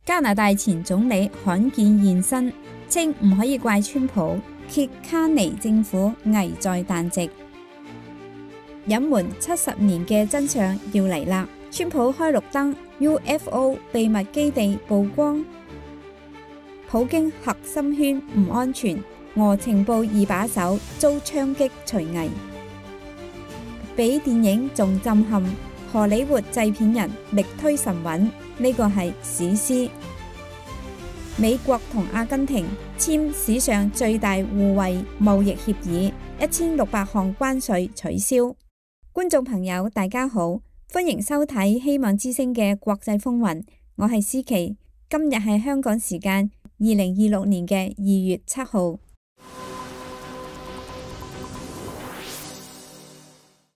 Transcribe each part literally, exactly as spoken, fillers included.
加拿大前總理罕見現身，稱唔可以怪川普，揭卡尼政府危在旦夕。隱瞞七十年嘅真相要嚟啦！川普開綠燈 ，U F O 秘密基地曝光，普京核心圈唔安全，俄情報二把手遭槍擊除危。比電影仲震撼，荷里活製片人力推神韻，呢個係史詩。美國同阿根廷簽史上最大互惠貿易協議，一千六百項關稅取消。觀眾朋友大家好，歡迎收睇希望之聲嘅國際風雲，我係思琪，今日係香港時間二零二六年嘅二月七號。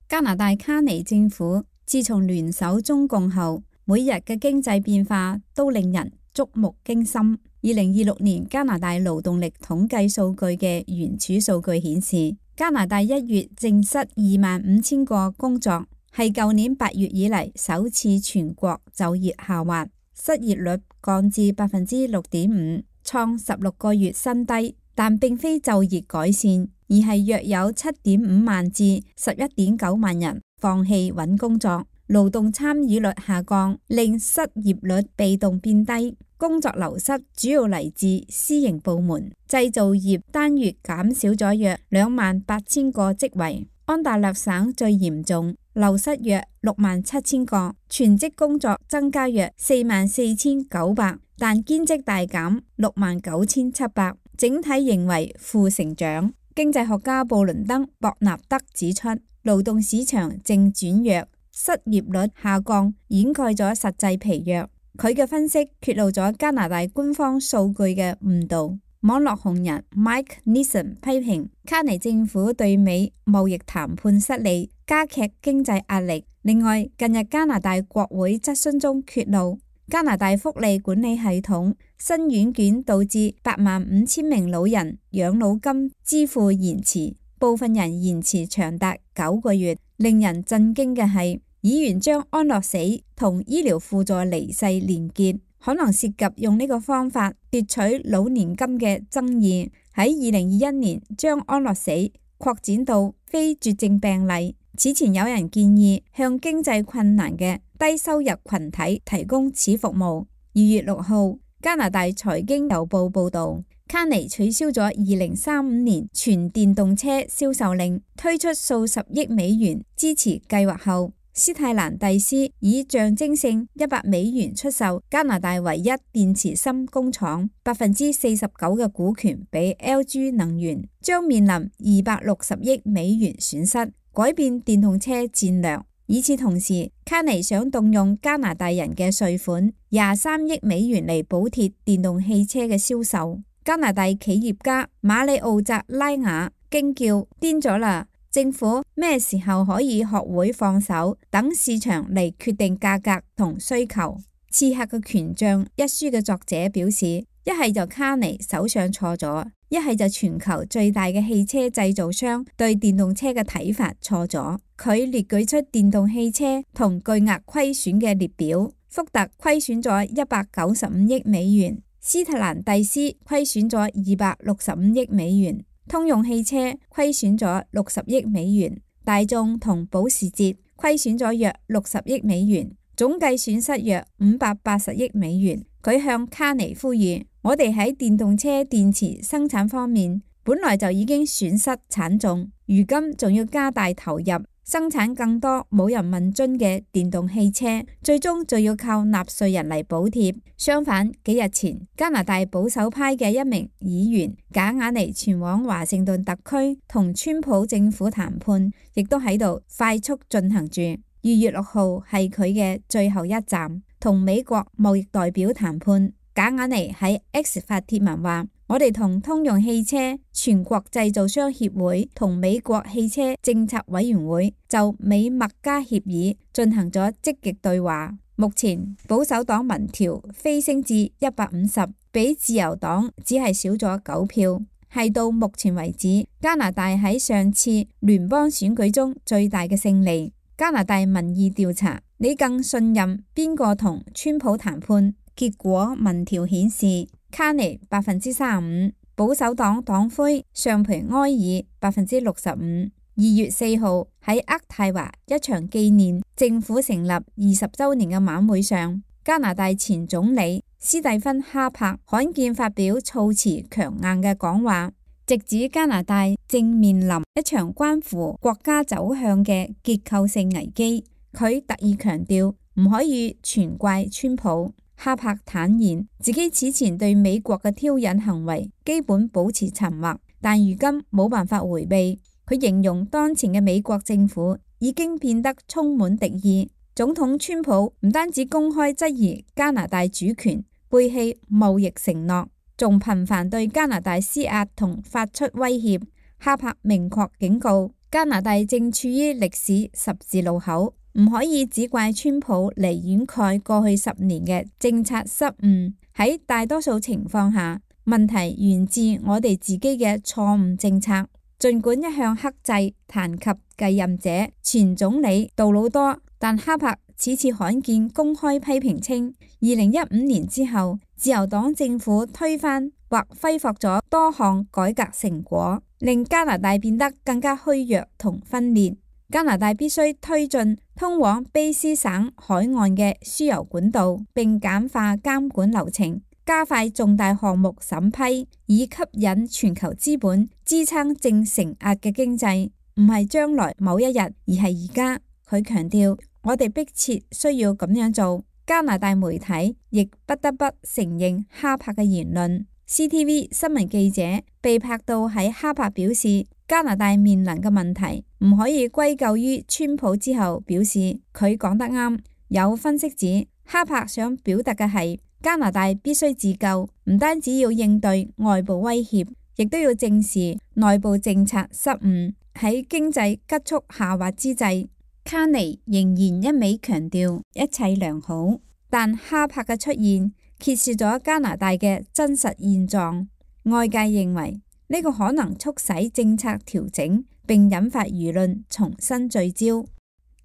加拿大卡尼政府自從聯手中共後，每日嘅經濟變化都令人觸目驚心。二零二六年加拿大勞動力統計數據嘅原始數據顯示，加拿大一月淨失二萬五千個工作，係舊年八月以嚟首次全國就業下滑，失業率降至百分之六點五，創十六個月新低。但並非就業改善，而係約有七點五萬至十一點九萬人放棄揾工作，勞動參與率下降，令失業率被動變低。工作流失主要嚟自私營部門，製造業單月減少咗約兩萬八千個職位。安大略省最嚴重，流失約六萬七千個，全職工作增加約四萬四千九百，但兼職大減六萬九千七百。整體認為負成長。經濟學家布倫登·博納德指出，勞動市場正轉弱，失業率下降掩蓋咗實際疲弱。佢嘅分析揭露咗加拿大官方數據嘅誤導。網絡紅人 Mike Nissen 批評卡尼政府對美貿易談判失利，加劇經濟壓力。另外，近日加拿大國會質詢中揭露，加拿大福利管理系統新軟件導致八萬五千名老人養老金支付延遲，部分人延遲長達九個月。令人震驚嘅係，議員將安樂死同醫療輔助離世連結，可能涉及用呢個方法奪取老年金嘅爭議。喺二零二一年將安樂死擴展到非絕症病例。此前有人建議向經濟困難嘅低收入群體提供此服務。二月六號，加拿大財經郵報報道，卡尼取消咗二零三五年全電動車銷售令，推出數十億美元支持計劃後，斯泰蘭蒂斯以象徵性一百美元出售加拿大唯一電池芯工廠百分之四十九嘅股權俾 L G 能源，將面臨二百六十億美元損失，改變電動車戰略。與此同時，卡尼想動用加拿大人嘅稅款廿三億美元嚟補貼電動汽車嘅銷售。加拿大企業家馬里奧扎拉雅驚叫：癲咗啦！政府咩時候可以學會放手，等市場嚟決定價格同需求？刺客嘅權杖一書嘅作者表示，一係就卡尼手上錯咗，一係就全球最大嘅汽車製造商對電動車嘅睇法錯咗。佢列舉出電動汽車同巨額虧損嘅列表，福特虧損咗一百九十五億美元，斯特蘭蒂斯虧損咗二百六十五億美元，通用汽車虧損咗六十億美元，大眾同保時捷虧損咗約六十億美元，總計損失約五百八十億美元。佢向卡尼呼籲，我哋喺電動車電池生產方面本來就已經損失慘重，如今仲要加大投入生產更多冇人問津嘅電動汽車，最終就要靠納稅人嚟補貼。相反，幾日前加拿大保守派嘅一名議員賈雅尼前往華盛頓特區同川普政府談判，亦都喺度快速進行住。二月六號係佢嘅最後一站，同美國貿易代表談判。賈雅尼喺 X 發帖文話：我哋同通用汽車全國製造商協會同美國汽車政策委員會就美墨加協議進行咗積極對話。目前保守黨民調飛升至一百五十，比自由黨只係少咗九票，係到目前為止加拿大喺上次聯邦選舉中最大嘅勝利。加拿大民意調查，你更信任邊個同川普談判？結果民調顯示，卡尼百分之三十五，保守黨黨魁尚培埃爾百分之六十五。二月四號喺渥太華一場紀念政府成立二十週年嘅晚會上，加拿大前總理斯蒂芬哈柏罕見發表措辭強硬嘅講話，直指加拿大正面臨一場關乎國家走向嘅結構性危機。佢特意強調唔可以全怪川普。哈柏坦言自己此前對美國嘅挑釁行為基本保持沉默，但如今冇辦法迴避。佢形容當前嘅美國政府已經變得充滿敵意。總統川普唔單止公開質疑加拿大主權，背棄貿易承諾，仲頻繁對加拿大施壓同發出威脅。哈柏明確警告，加拿大正處於歷史十字路口，唔可以只怪川普嚟掩蓋過去十年嘅政策失誤。喺大多數情況下，問題源自我哋自己嘅錯誤政策。儘管一向克制談及繼任者前總理杜魯多，但哈柏此次罕見公開批評稱，二零一五年之後，自由黨政府推翻或揮霍咗多項改革成果，令加拿大變得更加虛弱同分裂。加拿大必須推進通往卑詩省海岸嘅輸油管道，並簡化監管流程，加快重大項目審批，以吸引全球資本支撐正承壓嘅經濟，唔係將來某一日，而係而家。佢強調，我哋迫切需要咁樣做。加拿大媒體亦不得不承認哈柏嘅言論。C T V 新聞記者被拍到喺哈柏表示加拿大面臨嘅問題唔可以歸咎於川普之後，表示佢講得啱。有分析指，哈柏想表達嘅係加拿大必須自救，唔單止要應對外部威脅，亦都要正視內部政策失誤。喺經濟急速下滑之際，卡尼仍然一味強調一切良好，但哈柏嘅出現揭示咗加拿大嘅真實現狀。外界認為呢個可能促使政策調整，並引發輿論重新聚焦。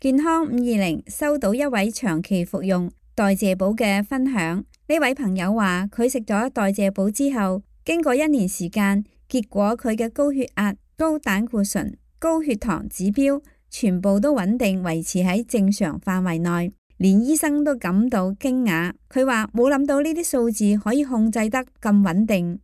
健康五二零收到一位長期服用代謝寶嘅分享。呢位朋友話佢食咗代謝寶之後，經過一年時間，結果佢嘅高血壓、高膽固醇、高血糖指標全部都穩定維持喺正常範圍內，連醫生都感到驚訝。佢話冇諗到呢啲數字可以控制得咁穩定。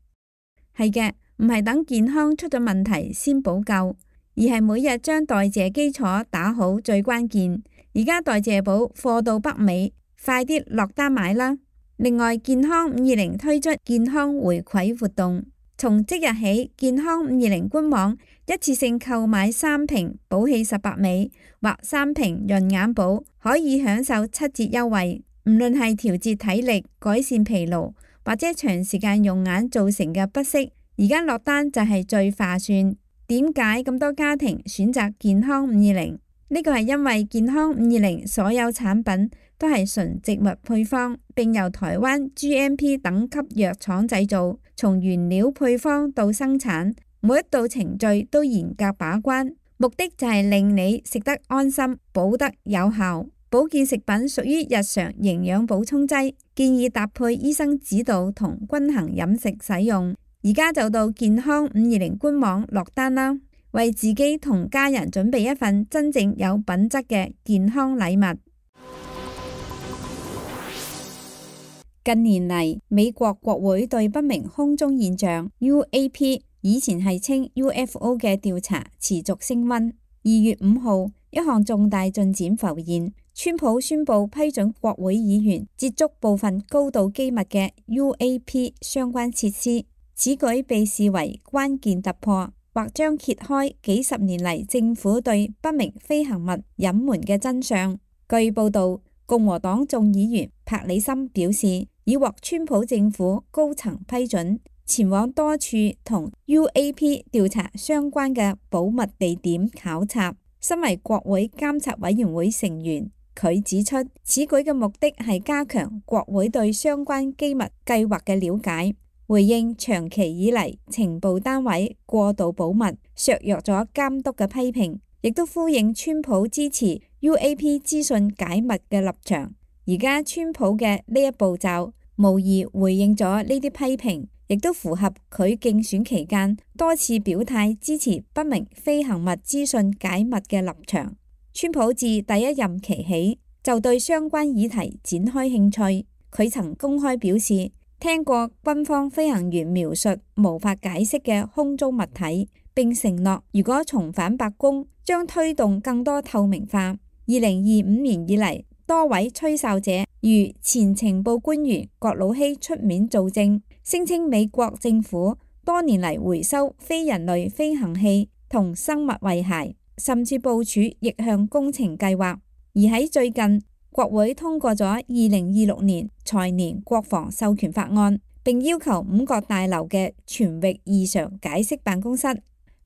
係嘅，唔係等健康出咗問題先補救，而係每日將代謝基礎打好最關鍵。而家代謝寶貨到北美，快啲落單買啦！另外，健康五二零推出健康回饋活動，從即日起，健康五二零官網一次性購買三瓶寶氣十八味或三瓶潤眼寶，可以享受七折優惠。唔論係調節體力、改善疲勞，或者長時間用眼造成嘅不適，而家落單就係最划算。點解咁多家庭選擇健康五二零？呢個係因為健康五二零所有產品都係純植物配方，並由台灣 G M P 等級藥廠製造，從原料配方到生產，每一道程序都嚴格把關，目的就係令你食得安心，補得有效。保健食品屬於日常營養補充劑，建議搭配醫生指導同均衡飲食使用。而家就到健康五二零官網落單啦，為自己同家人準備一份真正有品質嘅健康禮物。近年嚟，美國國會對不明空中現象 U A P 以前係稱 U F O 嘅調查持續升溫。二月五號，一項重大進展浮現，川普宣布批准國會議員接觸部分高度機密嘅 U A P 相關設施。此舉被視為關鍵突破，或將揭開幾十年嚟政府對不明飛行物隱瞞嘅真相。據報道，共和黨眾議員帕里森表示，已獲川普政府高層批准，前往多處同 U A P 調查相關嘅保密地點考察。身為國會監察委員會成員，佢指出，此舉嘅目的係加強國會對相關機密計劃嘅了解。回應長期以嚟情報單位過度保密，削弱咗監督嘅批評，亦都呼應川普支持 U A P 資訊解密嘅立場。而家川普嘅呢一步驟，無疑回應咗呢啲批評，亦都符合佢競選期間多次表態支持不明飛行物資訊解密嘅立場。川普自第一任期起就對相關議題展開興趣，佢曾公開表示聽過軍方飛行員描述無法解釋嘅空中物體，並承諾如果重返白宮將推動更多透明化。二零二五年以嚟，多位吹哨者如前情報官員葛魯希出面作證，聲稱美國政府多年嚟回收非人類飛行器同生物遺骸，甚至部署逆向工程計劃。而喺最近，國會通過咗二零二六年財年國防授權法案，並要求五角大樓嘅全域異常解釋辦公室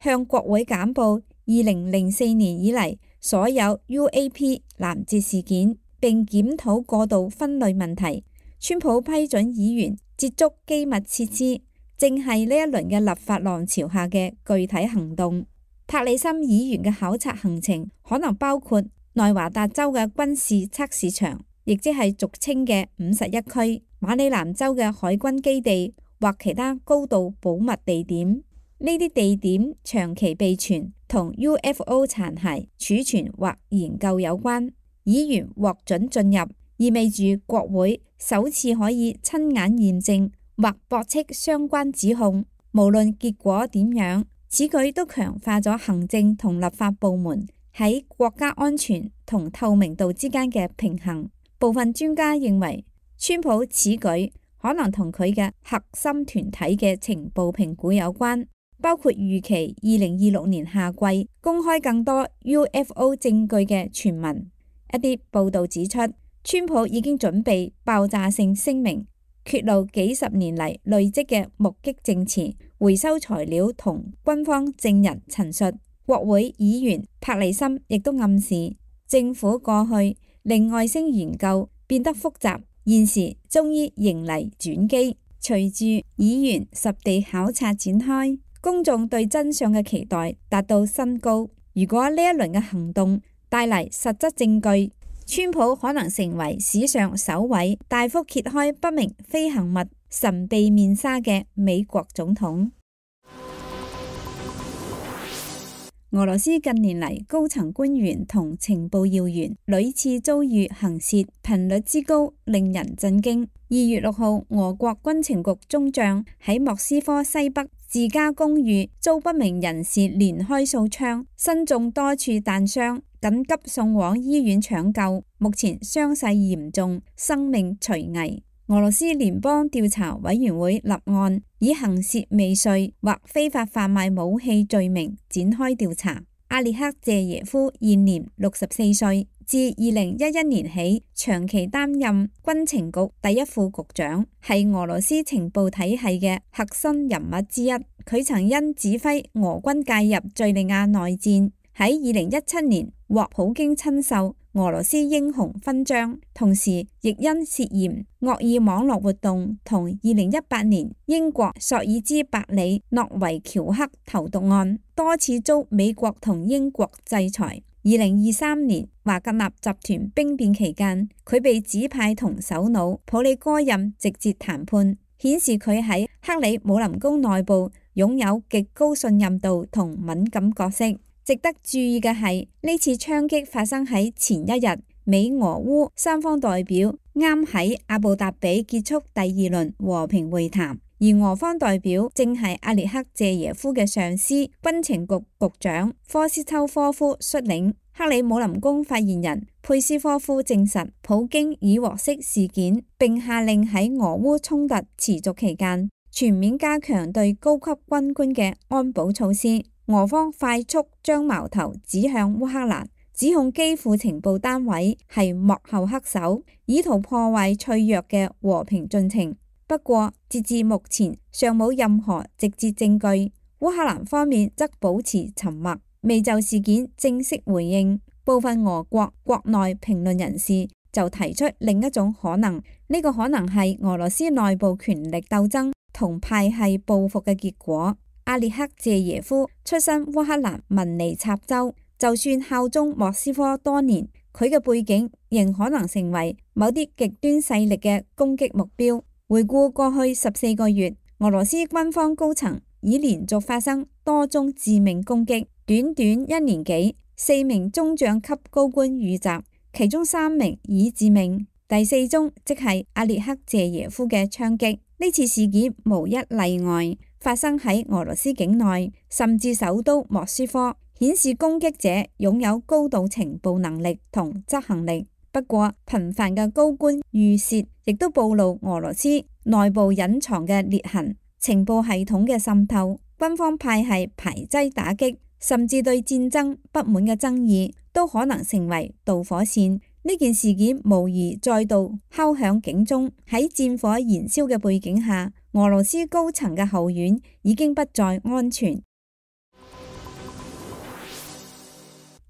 向國會簡報二零零四年以嚟所有 U A P 攔截事件，並檢討過度分類問題。川普批准議員接觸機密設施，正係呢一輪嘅立法浪潮下嘅具體行動。帕里森議員嘅考察行程可能包括內華達州嘅軍事測試場，亦即係俗稱嘅五十一區，馬里蘭州嘅海軍基地或其他高度保密地點。呢啲地點長期被傳同 U F O 殘骸儲存或研究有關。議員獲准進入，意味住國會首次可以親眼驗證或駁斥相關指控。無論結果點樣，此舉都強化咗行政同立法部門喺國家安全同透明度之間嘅平衡。部分專家認為，川普此舉可能同佢嘅核心團體嘅情報評估有關，包括預期二零二六年夏季公開更多 U F O 證據嘅傳聞。一啲報道指出，川普已經準備爆炸性聲明，揭露幾十年嚟累積嘅目擊證詞、回收材料同軍方證人陳述。國會議員帕里森亦都暗示，政府過去令外星研究變得複雜，現時終於迎嚟轉機。隨住議員實地考察展開，公眾對真相嘅期待達到新高。如果呢一輪嘅行動帶嚟實質證據，川普可能成為史上首位大幅揭開不明飛行物神秘面紗嘅美國總統。俄羅斯近年嚟高層官員同情報要員屢次遭遇行竊，頻率之高令人震驚。二月六號，俄國軍情局中將喺莫斯科西北自家公寓遭不明人士連開數槍，身中多處彈傷，緊急送往醫院搶救，目前傷勢嚴重，生命垂危。俄羅斯聯邦調查委員會立案，以行竊未遂或非法販賣武器罪名展開調查。阿列克謝耶夫現年六十四歲，自二零一一年起長期擔任軍情局第一副局長，係俄羅斯情報體系嘅核心人物之一。佢曾因指揮俄軍介入敘利亞內戰，喺二零一七年獲普京親授俄羅斯英雄勳章，同時亦因涉嫌惡意網絡活動同二零一八年英國索爾茲伯里諾維喬克投毒案多次遭美國同英國制裁。二零二三年華格納集團兵變期間，佢被指派同首腦普里戈任直接談判，顯示佢喺克里姆林宮內部擁有極高信任度同敏感角色。值得注意嘅係，呢次槍擊發生喺前一日，美俄烏三方代表啱喺阿布達比結束第二輪和平會談，而俄方代表正係阿列克謝耶夫嘅上司軍情局局長科斯秋科夫率領。克里姆林宮發言人佩斯科夫證實，普京已獲悉事件，並下令喺俄烏衝突持續期間全面加強對高級軍官嘅安保措施。俄方快速將矛頭指向烏克蘭，指控基輔情報單位係幕後黑手，以圖破壞脆弱嘅和平進程。不過，截至目前尚冇任何直接證據。烏克蘭方面則保持沉默，未就事件正式回應。部分俄國國內評論人士就提出另一種可能，呢、這個可能係俄羅斯內部權力鬥爭同派系報復嘅結果。阿列克謝耶夫出身烏克蘭文尼插州，就算效忠莫斯科多年，佢嘅背景仍可能成為某啲極端勢力嘅攻擊目標。回顧過去十四個月，俄羅斯軍方高層已連續發生多宗致命攻擊，短短一年幾，四名中將級高官遇襲，其中三名已致命。第四宗即係阿列克謝耶夫嘅槍擊。呢次事件無一例外，發生喺俄羅斯境內，甚至首都莫斯科，顯示攻擊者擁有高度情報能力同執行力。不過，頻繁嘅高官遇刺亦都暴露俄羅斯內部隱藏嘅裂痕、情報系統嘅滲透、軍方派系排擠打擊，甚至對戰爭不滿嘅爭議，都可能成為導火線。呢件事件無疑再度敲響警鐘。喺戰火燃燒嘅背景下，俄羅斯高層嘅後院已經不再安全。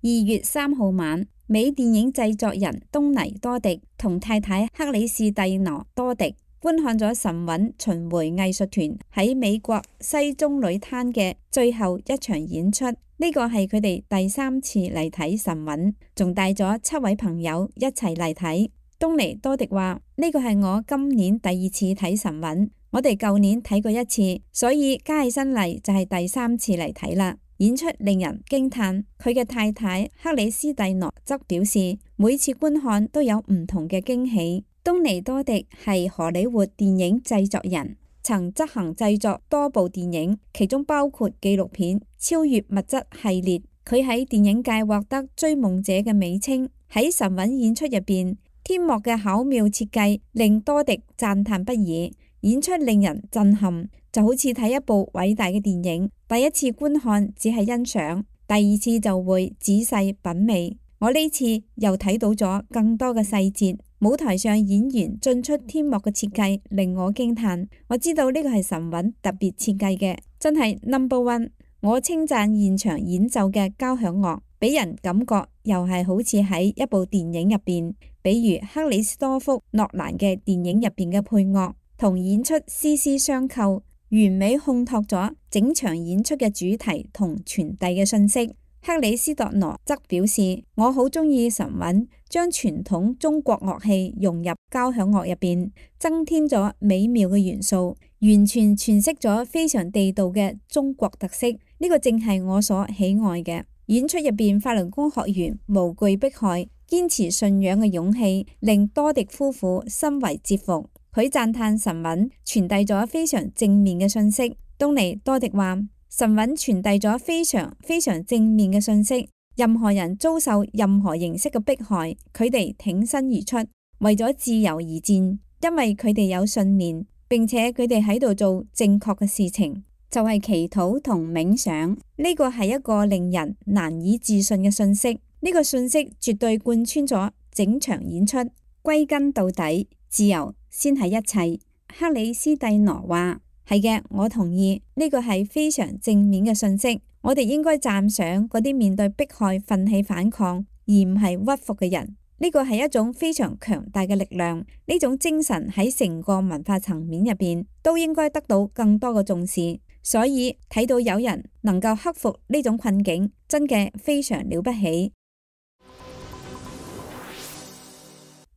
二月三號晚，美電影製作人東尼多迪同太太克里士蒂娜多迪觀看咗神韻巡迴藝術團喺美國西棕櫚灘嘅最後一場演出。呢個係佢哋第三次嚟睇神韻，仲帶咗七位朋友一齊嚟睇。東尼多迪話：呢個係我今年第二次睇神韻，我哋舊年睇過一次，所以加起身嚟就係第三次嚟睇啦。演出令人驚嘆。佢嘅太太克里斯蒂諾則表示，每次觀看都有唔同嘅驚喜。東尼多迪係荷里活電影製作人，曾執行製作多部電影，其中包括紀錄片《超越物質》系列。佢喺電影界獲得追夢者嘅美稱。喺神韻演出入邊，天幕嘅巧妙設計令多迪讚嘆不已。演出令人震撼，就好似睇一部偉大嘅電影。第一次觀看只係欣賞，第二次就會仔細品味。我呢次又睇到咗更多嘅細節，舞台上演員進出天幕嘅設計令我驚嘆。我知道呢個係神韻特別設計嘅，真係 number one。我稱讚現場演奏嘅交響樂，俾人感覺又係好似喺一部電影入邊，比如克里斯多夫諾蘭嘅電影入邊嘅配樂。同演出絲絲相扣，完美烘托咗整場演出嘅主題同傳遞嘅信息。克里斯托羅則表示：我好鍾意神韻，將傳統中國樂器融入交響樂入邊，增添咗美妙嘅元素，完全詮釋咗非常地道嘅中國特色。呢個正係我所喜愛嘅。演出入邊，法輪功學員無懼迫害、堅持信仰嘅勇氣，令多迪夫婦深為折服。佢讚嘆神韻傳遞咗非常正面嘅信息。東尼多迪話：神韻傳遞咗非常非常正面嘅信息。任何人遭受任何形式嘅迫害，佢哋挺身而出，為咗自由而戰，因為佢哋有信念，並且佢哋喺度做正確嘅事情，就係祈禱同冥想。呢個係一個令人難以置信嘅信息。呢個信息絕對貫穿咗整場演出。歸根到底，自由先係一切。克里斯蒂諾話：係嘅，我同意，呢個係非常正面嘅信息。我哋應該讚賞嗰啲面對迫害奮起反抗而唔係屈服嘅人。呢個係一種非常強大嘅力量。呢種精神喺成個文化層面入邊都應該得到更多嘅重視。所以睇到有人能夠克服呢種困境，真嘅非常了不起。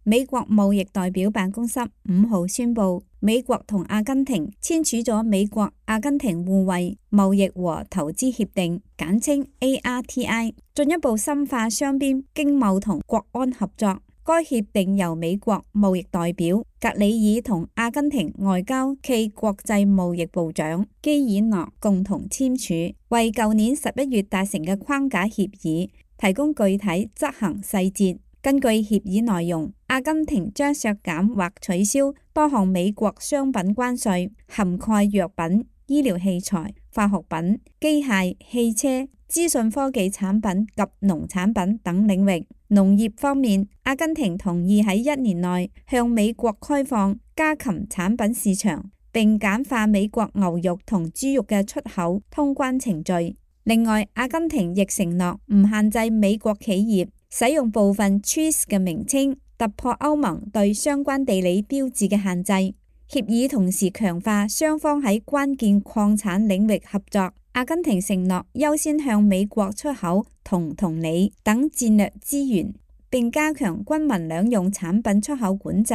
美國貿易代表辦公室五號宣布，美國同阿根廷簽署咗美國阿根廷互惠貿易和投資協定，簡稱 A R T I， 進一步深化雙邊經貿同國安合作。該協定由美國貿易代表格里爾同阿根廷外交暨國際貿易部長基爾諾共同簽署，為舊年十一月達成嘅框架協議提供具體執行細節。根據協議內容，阿根廷將削減或取消多項美國商品關稅，涵蓋藥品、醫療器材、化學品、機械、汽車、資訊科技產品及農產品等領域。農業方面，阿根廷同意喺一年內向美國開放家禽產品市場，並簡化美國牛肉同豬肉嘅出口通關程序。另外，阿根廷亦承諾唔限制美國企業使用部分 cheese 嘅名稱，突破歐盟對相關地理標誌嘅限制。協議同時強化雙方喺關鍵礦產領域合作。阿根廷承諾優先向美國出口銅同鋰等戰略資源，並加強軍民兩用產品出口管制。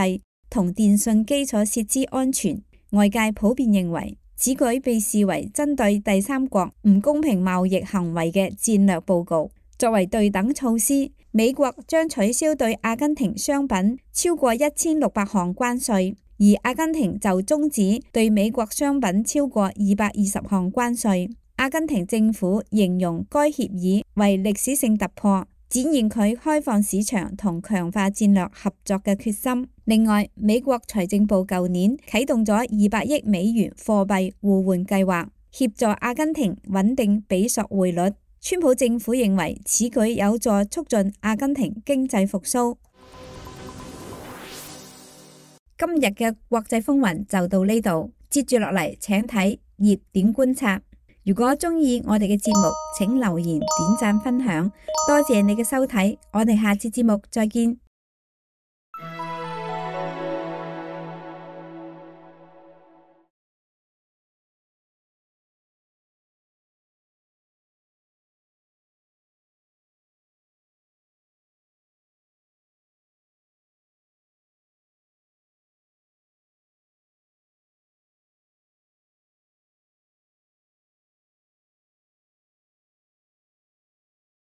同電訊基礎設施安全。外界普遍認為，此舉被視為針對第三國唔公平貿易行為嘅戰略報告。作為對等措施，美國將取消對阿根廷商品超過一千六百項關稅，而阿根廷就終止對美國商品超過二百二十項關稅。阿根廷政府形容該協議為歷史性突破，展現佢開放市場同強化戰略合作嘅決心。另外，美國財政部舊年啟動咗二百億美元貨幣互換計劃，協助阿根廷穩定比索匯率。川普政府認為此舉有助促進阿根廷經濟復甦。今日嘅國際風雲就到呢度，接住落嚟請睇熱點觀察。如果中意我哋嘅節目，請留言、點讚、分享，多謝你嘅收睇，我哋下次節目再見。